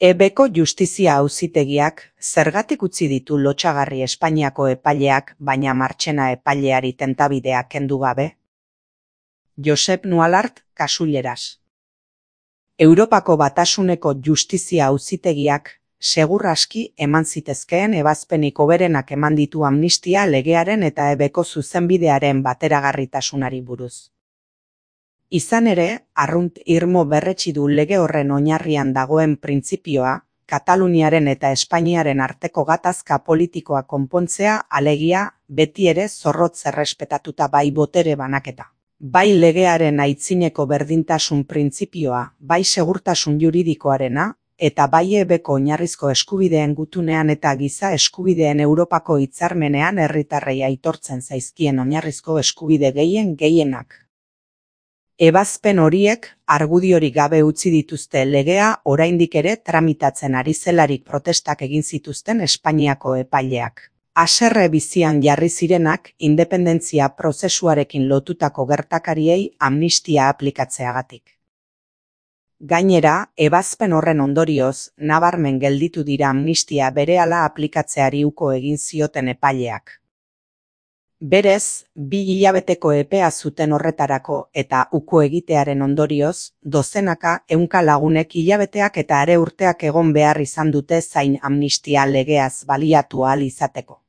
Ebeko Justizia Auzitegiak zergatik utzi ditu lotsagarri Espainiako epaileak, baina Marchena epaileari tentabidea kendu gabe? Josep Nualart, Kasuleras. Europako Batasuneko Justizia Auzitegiak segur aski eman zitezkeen ebazpenik hoberenak eman ditu amnistia legearen eta ebeko zuzenbidearen bateragarritasunari buruz. Izan ere, arrunt irmo berretsi du lege horren oinarrian dagoen printzipioa, Kataluniaren eta Espainiaren arteko gatazka politikoa konpontzea, alegia, beti ere zorrotz errespetatuta bai botere banaketa. Bai legearen aitzineko berdintasun printzipioa, bai segurtasun juridikoarena, eta bai ebeko oinarrizko eskubideen gutunean eta giza eskubideen Europako hitzarmenean herritarrei aitortzen zaizkien oinarrizko eskubide gehienak. Ebazpen horiek argudiorik gabe utzi dituzte legea oraindik ere tramitatzen ari zelarik protestak egin zituzten Espainiako epaileak. Haserre bizian jarri zirenak independentzia prozesuarekin lotutako gertakariei amnistia aplikatzeagatik. Gainera, ebazpen horren ondorioz, nabarmen gelditu dira amnistia berehala aplikatzeari uko egin zioten epaileak. Berez, 2 hilabeteko epea zuten horretarako eta uko egitearen ondorioz, dozenaka ehunka lagunek hilabeteak eta are urteak egon behar izan dute zain amnistia legeaz baliatu ahal izateko.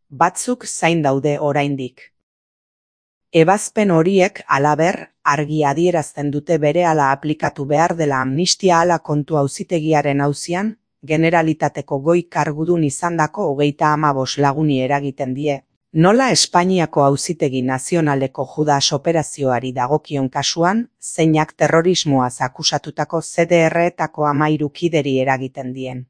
Batzuk zain daude oraindik. Ebazpen horiek halaber, argi adierazten dute berehala aplikatu behar dela amnistia hala kontu auzitegiaren auzian, Generalitateko goi kargudun izandako 35 laguni eragiten die. Nola Espainiako Auzitegi Nazionaleko Judas operazioari dagokion kasuan, zeinak terrorismoaz akusatutako CDR-etako 13 kideri eragiten dien.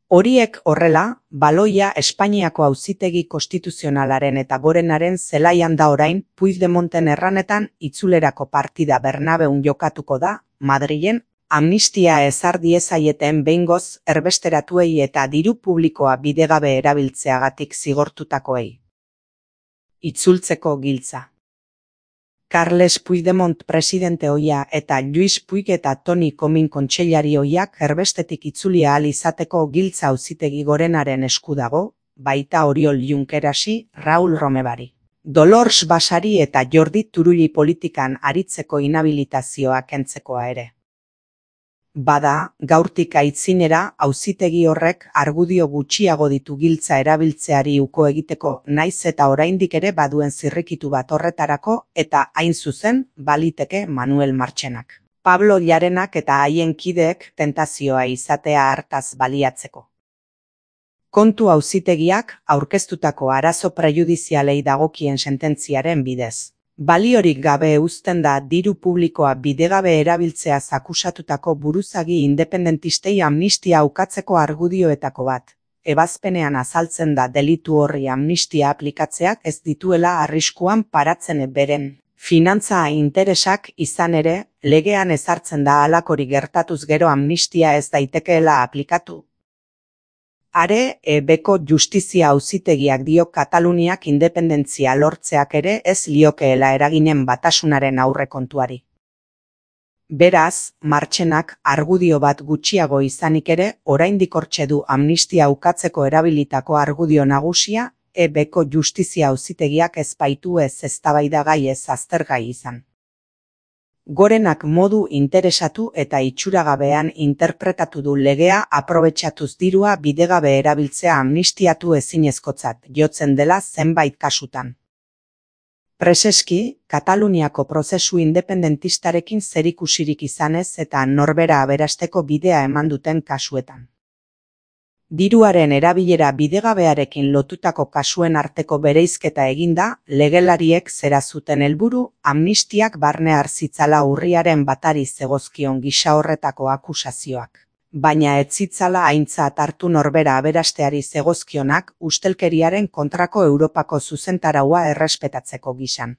Horiek horrela, baloia Espainiako Auzitegi Konstituzionalaren eta Gorenaren zelaian da orain Puigdemonten erranetan itzulerako partida Bernabeun jokatuko da, Madrilen, amnistia ezar diezaieten behingoz erbesteratuei eta diru publikoa bidegabe erabiltzeagatik zigortutakoei. Itzultzeko giltza. Carles Puigdemont presidente ohia eta Lluís Puig eta Toni Comín kontseilari ohiak erbestetik itzuli ahal izateko giltza Auzitegi Gorenaren esku dago, baita Oriol Junquerasi, Raúl Romevari, Dolors Basari eta Jordi Turulli politikan aritzeko inhabilitazioa kentzekoa ere. Bada, gaurtik aitzinera, auzitegi horrek argudio gutxiago ditu giltza erabiltzeari uko egiteko, naiz eta oraindik ere baduen zirrikitu bat horretarako eta hain zuzen baliteke Manuel Marchenak, Pablo Llarenak eta haien kideek tentazioa izatea hartaz baliatzeko. Kontu auzitegiak aurkeztutako arazo prejudizialei dagokien sententziaren bidez. Baliorik gabe uzten da diru publikoa bidegabe erabiltzeaz akusatutako buruzagi independentistei amnistia ukatzeko argudioetako bat. Ebazpenean azaltzen da delitu horri amnistia aplikatzeak ez dituela arriskuan paratzen beren finantza interesak izan ere, legean ezartzen da halakori gertatuz gero amnistia ez daitekeela aplikatu. Are, ebeko Justizia Auzitegiak dio Kataluniak independentzia lortzeak ere ez liokeela eraginen batasunaren aurrekontuari. Beraz, Marchenak argudio bat gutxiago izanik ere, oraindik hortxe du amnistia ukatzeko erabilitako argudio nagusia, ebeko Justizia Auzitegiak ez baitu ez eztabaidagai ez aztergai izan. Gorenak modu interesatu eta itxuragabean interpretatu du legea aprobetxatuz dirua bidegabe erabiltzea amnistiatu ezinezkotzat jotzen dela zenbait kasutan. Preseski, Kataluniako prozesu independentistarekin zerikusirik izanez eta norbera aberasteko bidea eman duten kasuetan. Diruaren erabilera bidegabearekin lotutako kasuen arteko bereizketa eginda, legelariek zera zuten helburu amnistiak barne hartzitzala urriaren batari zegozkion gisa horretako akusazioak. Baina ez zitzala aintzat hartu norbera aberasteari zegozkionak ustelkeriaren kontrako Europako zuzentaraua errespetatzeko gisan.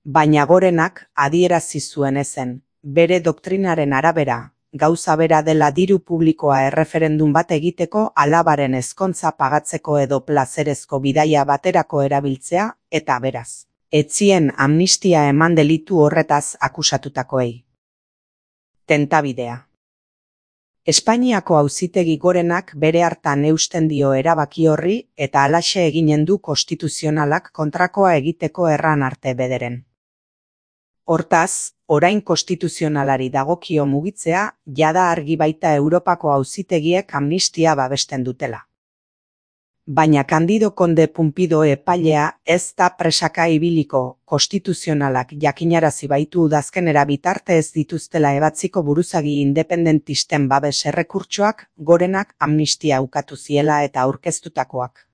Baina Gorenak adierazi zuen ezen, bere doktrinaren arabera, gauza bera dela diru publikoa erreferendum bat egiteko alabaren ezkontza pagatzeko edo plazerezko bidaia baterako erabiltzea, eta beraz, ez zien amnistia eman delitu horretaz akusatutakoei. Tentabidea. Espainiako Auzitegi Gorenak bere hartan eusten dio erabaki horri eta halaxe eginen du konstituzionalak kontrakoa egiteko erran arte bederen. Hortaz, orain konstituzionalari dagokio mugitzea, jada argi baita Europako auzitegiek amnistia babesten dutela. Baina Candido Conde Pumpido epailea ez da presaka ibiliko, konstituzionalak jakinarazi baitu udazkenera bitarte ez dituztela ebatziko buruzagi independentisten babes errekurtsoak Gorenak amnistia ukatu ziela eta aurkeztutakoak.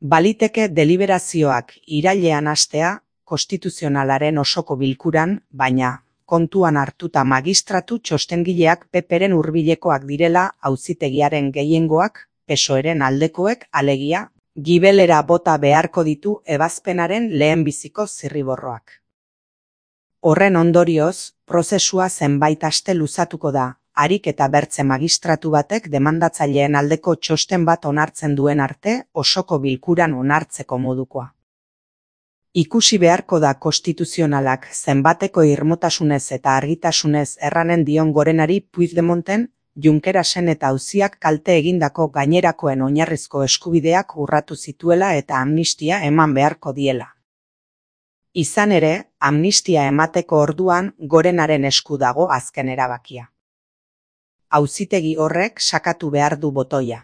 Baliteke deliberazioak irailean hastea, konstituzionalaren osoko bilkuran, baina kontuan hartuta magistratu txostengileak PPren hurbilekoak direla auzitegiaren gehiengoak, PSOEren aldekoek alegia, gibelera bota beharko ditu ebazpenaren lehenbiziko zirriborroak. Horren ondorioz, prozesua zenbait aste luzatuko da, harik eta bertze magistratu batek demandatzaileen aldeko txosten bat onartzen duen arte osoko bilkuran onartzeko modukoa. Ikusi beharko da konstituzionalak zenbateko irmotasunez eta argitasunez erranen dion Gorenari Puigdemonten, Junckerasen eta auziak kalte egindako gainerakoen oinarrizko eskubideak urratu zituela eta amnistia eman beharko diela. Izan ere, amnistia emateko orduan Gorenaren esku dago azken erabakia. Auzitegi horrek sakatu behar du botoia.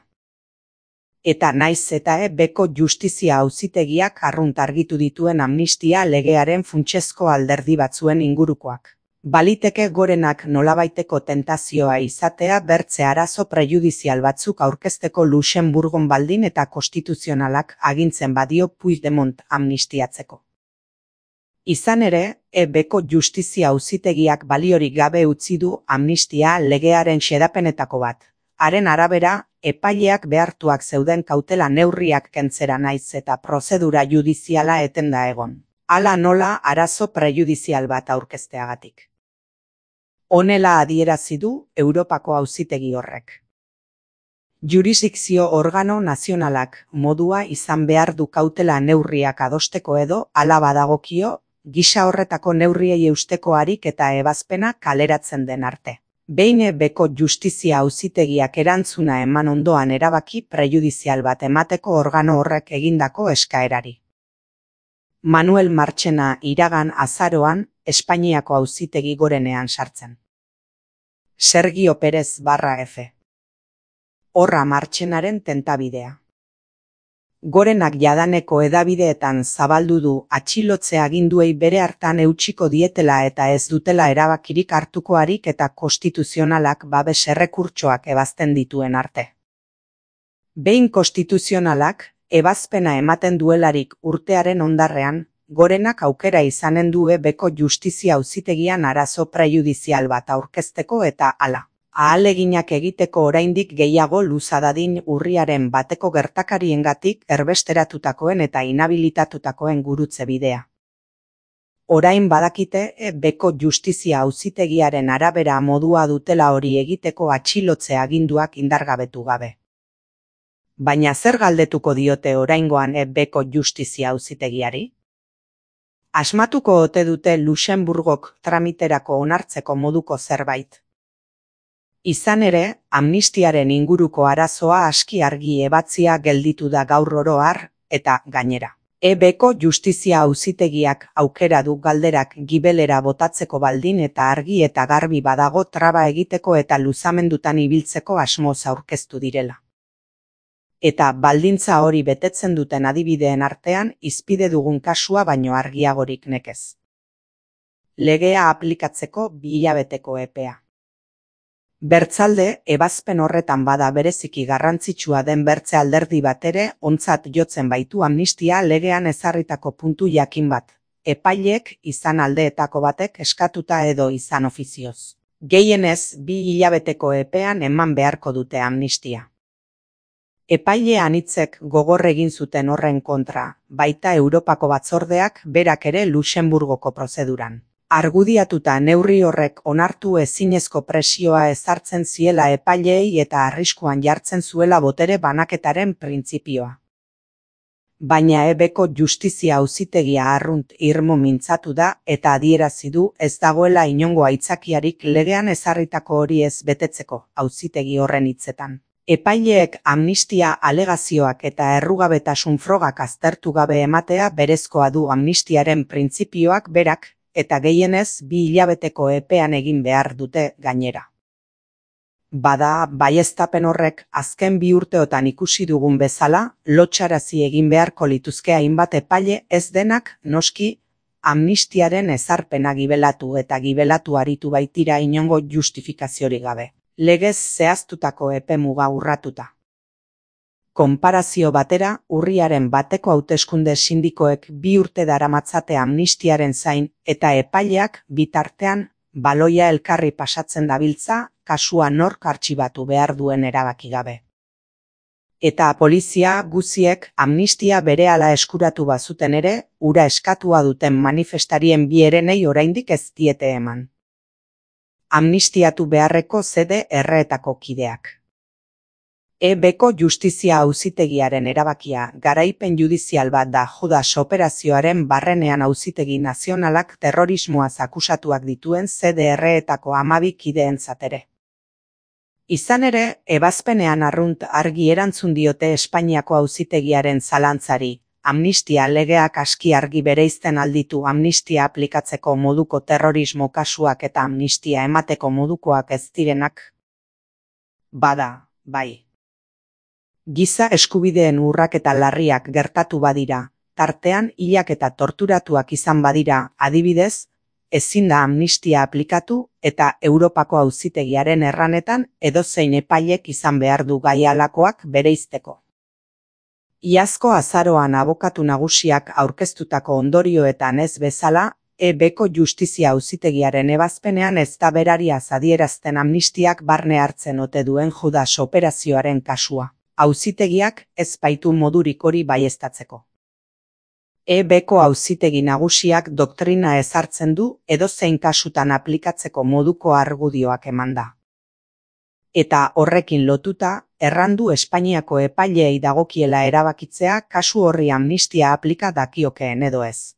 Eta naiz eta beko justizia auzitegiak arrunt argitu dituen amnistia legearen funtsezko alderdi batzuen ingurukoak. Baliteke Gorenak nolabaiteko tentazioa izatea bertze arazo prejudizial batzuk aurkezteko Luxemburgon baldin eta konstituzionalak agintzen badio Puigdemont amnistiatzeko. Izan ere, beko justizia auzitegiak baliorik gabe utzi du amnistia legearen xedapenetako bat. Haren arabera, epaileak behartuak zeuden kautela neurriak kentzera naiz eta prozedura judiziala etenda egon. Hala nola arazo prejudizial bat aurkezteagatik. Honela adierazi du Europako auzitegi horrek. Jurisdikzio organo nazionalak modua izan behar du kautela neurriak adosteko edo hala badagokio, gisa horretako neurriei eusteko harik eta ebazpena kaleratzen den arte. Behin beko justizia auzitegiak erantzuna eman ondoan erabaki prejudizial bat emateko organo horrek egindako eskaerari. Manuel Marchena iragan azaroan Espainiako Auzitegi Gorenean sartzen. Sergio Pérez /F. Horra Marchenaren tentabidea. Gorenak jadaneko edabideetan zabaldu du atxilotze aginduei bere hartan eutsiko dietela eta ez dutela erabakirik hartuko harik eta konstituzionalak babes errekurtsoak ebazten dituen arte. Behin konstituzionalak, ebazpena ematen duelarik urtearen ondarrean, Gorenak aukera izanen du beko justizia auzitegian arazo prejudizial bat aurkezteko eta hala. Ahaleginak egiteko oraindik gehiago luza dadin urriaren bateko gertakariengatik erbesteratutakoen eta inhabilitatutakoen gurutze bidea. Orain badakite beko justizia auzitegiaren arabera modua dutela hori egiteko atxilotze aginduak indargabetu gabe. Baina zer galdetuko diote oraingoan beko justizia auzitegiari? Asmatuko ote dute Luxemburgok tramiterako onartzeko moduko zerbait. Izan ere, amnistiaren inguruko arazoa aski argi ebatzia gelditu da gaur oro har, eta gainera. Beko justizia auzitegiak aukera du galderak gibelera botatzeko baldin eta argi eta garbi badago traba egiteko eta luzamendutan ibiltzeko asmoz aurkeztu direla. Eta baldintza hori betetzen duten adibideen artean hizpide dugun kasua baino argiagorik nekez. Legea aplikatzeko 2 hilabeteko epea. Bertzalde, ebazpen horretan bada bereziki garrantzitsua den bertze alderdi bat ere ontzat jotzen baitu amnistia legean ezarritako puntu jakin bat. Epaileek izan aldeetako batek eskatuta edo izan ofizioz. Gehienez 2 hilabeteko epean eman beharko dute amnistia. Epaile anitzek gogor egin zuten horren kontra, baita Europako batzordeak berak ere Luxemburgoko prozeduran. Argudiatuta neurri horrek onartu ezinezko presioa ezartzen ziela epaileei eta arriskuan jartzen zuela botere banaketaren printzipioa. Baina ebeko justizia auzitegia arrunt irmo mintzatu da eta adierazi du ez dagoela inongo aitzakiarik legean ezarritako hori ez betetzeko, auzitegi horren hitzetan. Epaileek amnistia alegazioak eta errugabetasun frogak aztertu gabe ematea berezkoa du amnistiaren printzipioak berak, eta gehienez 2 hilabeteko epean egin behar dute gainera. Bada, baieztapen horrek azken 2 urteotan ikusi dugun bezala, lotsarazi egin beharko lituzke hainbat epaile ez denak, noski, amnistiaren ezarpena gibelatu eta gibelatu aritu baitira inongo justifikaziorik gabe. Legez zehaztutako epemuga urratuta. Konparazio batera, urriaren 1eko hauteskunde sindikoek 2 urte daramatzate amnistiaren zain eta epaileak bitartean baloia elkarri pasatzen dabiltza, kasua nork artxibatu behar duen erabaki gabe. Eta polizia guziek amnistia berehala eskuratu bazuten ere, ura eskatua duten manifestarien 2 herenei oraindik ez diete eman. Amnistiatu beharreko zede erreetako kideak. Ebeko justizia auzitegiaren erabakia garaipen judizial bat da Judas operazioaren barrenean auzitegi nazionalak terrorismoaz akusatuak dituen CDR-etako 12 kideentzat ere. Izan ere, ebazpenean arrunt argi erantzun diote Espainiako auzitegiaren zalantzari, amnistia legeak aski argi bereizten alditu amnistia aplikatzeko moduko terrorismo kasuak eta amnistia emateko modukoak ez direnak. Bada, bai. Giza eskubideen urraketa larriak gertatu badira, tartean hilak eta torturatuak izan badira, adibidez, ezin da amnistia aplikatu eta Europako auzitegiaren erranetan edozein epailek izan behar du gai halakoak bereizteko. Iazko azaroan abokatu nagusiak aurkeztutako ondorioetan ez bezala, ebeko justizia auzitegiaren ebazpenean ez da berariaz adierazten amnistiak barne hartzen ote duen Judas operazioaren kasua. Auzitegiak ez baitu modurik hori baieztatzeko. Ebeko auzitegi nagusiak doktrina ezartzen du edozein kasutan aplikatzeko moduko argudioak emanda. Eta horrekin lotuta, errandu Espainiako epaileei dagokiela erabakitzea kasu horri amnistia aplika dakiokeen edo ez.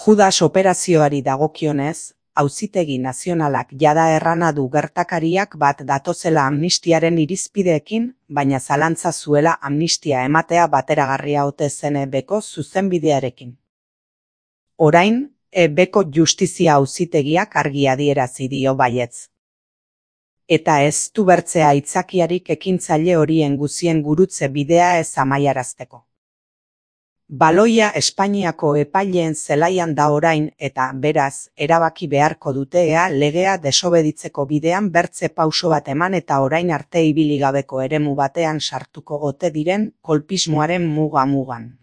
Judas operazioari dagokionez, auzitegi nazionalak jada errana du gertakariak bat datozela amnistiaren irizpideekin, baina zalantza zuela amnistia ematea bateragarria ote zen ebeko zuzenbidearekin. Orain, ebeko justizia auzitegiak argi adierazi dio baietz. Eta ez du bertzea aitzakiarik ekintzaile horien guzien gurutze bidea ez amaiarazteko. Baloia Espainiako epaileen zelaian da orain eta beraz erabaki beharko dute ea legea desobeditzeko bidean bertze pauso bat eman eta orain arte ibili gabeko eremu batean sartuko ote diren kolpismoaren muga-mugan.